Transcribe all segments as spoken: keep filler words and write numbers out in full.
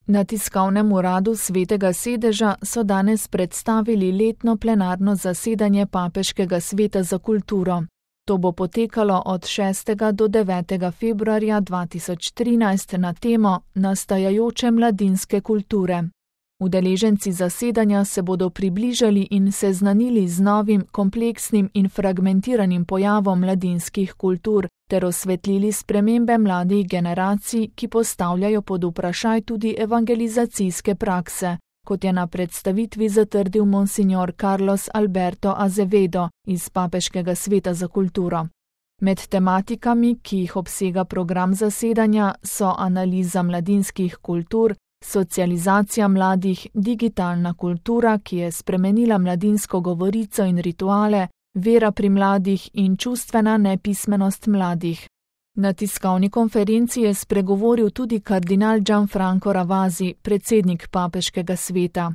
Na tiskovnem uradu Svetega sedeža so danes predstavili letno plenarno zasedanje Papeškega sveta za kulturo. To bo potekalo od šestega do devetega februarja dva tisoč trinajst na temo Nastajajoče mladinske kulture. Udeleženci zasedanja se bodo približali in seznanili z novim, kompleksnim in fragmentiranim pojavom mladinskih kultur ter osvetlili spremembe mladih generacij, ki postavljajo pod vprašaj tudi evangelizacijske prakse, kot je na predstavitvi zatrdil monsignor Carlos Alberto Azevedo iz Papeškega sveta za kulturo. Med tematikami, ki jih obsega program zasedanja, so analiza mladinskih kultur, socializacija mladih, digitalna kultura, ki je spremenila mladinsko govorico in rituale, vera pri mladih in čustvena nepismenost mladih. Na tiskovni konferenci je spregovoril tudi kardinal Gianfranco Ravasi, predsednik Papeškega sveta.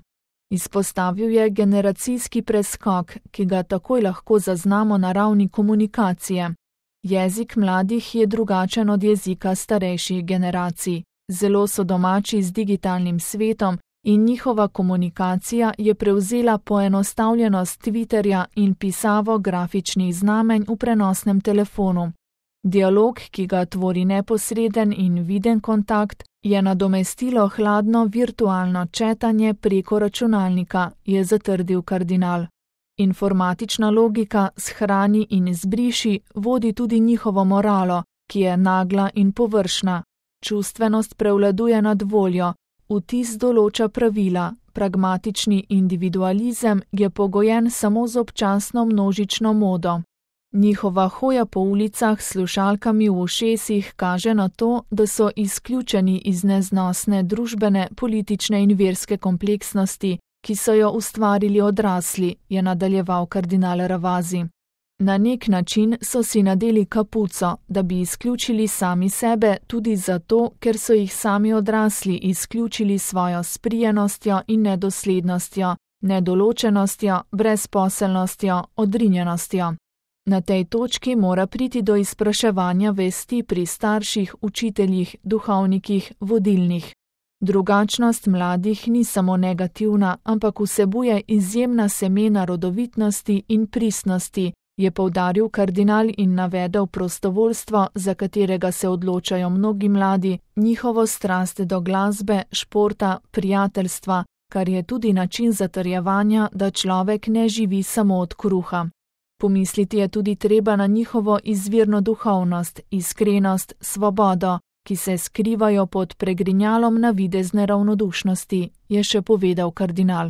Izpostavil je generacijski preskok, ki ga takoj lahko zaznamo na ravni komunikacije. Jezik mladih je drugačen od jezika starejših generacij. Zelo so domači z digitalnim svetom in njihova komunikacija je prevzela poenostavljenost Twitterja in pisavo grafičnih znamenj v prenosnem telefonu. Dialog, ki ga tvori neposreden in viden kontakt, je nadomestilo hladno virtualno četanje preko računalnika, je zatrdil kardinal. Informatična logika shrani in izbriši vodi tudi njihovo moralo, ki je nagla in površna. Čustvenost prevladuje nad voljo, vtis določa pravila, pragmatični individualizem je pogojen samo z občasno množično modo. Njihova hoja po ulicah s slušalkami v ušesih kaže na to, da so izključeni iz neznosne družbene, politične in verske kompleksnosti, ki so jo ustvarili odrasli, je nadaljeval kardinal Ravasi. Na nek način so si nadeli kapuco, da bi izključili sami sebe tudi zato, ker so jih sami odrasli izključili svojo sprijenostjo in nedoslednostjo, nedoločenostjo, brezposelnostjo, odrinjenostjo. Na tej točki mora priti do izpraševanja vesti pri starših, učiteljih, duhovnikih, vodilnih. Drugačnost mladih ni samo negativna, ampak vsebuje izjemna semena rodovitnosti in pristnosti, je poudaril kardinal in navedel prostovoljstvo, za katerega se odločajo mnogi mladi, njihovo strast do glasbe, športa, prijateljstva, kar je tudi način zatrjevanja, da človek ne živi samo od kruha. Pomisliti je tudi treba na njihovo izvirno duhovnost, iskrenost, svobodo, ki se skrivajo pod pregrinjalom navidezne ravnodušnosti, je še povedal kardinal.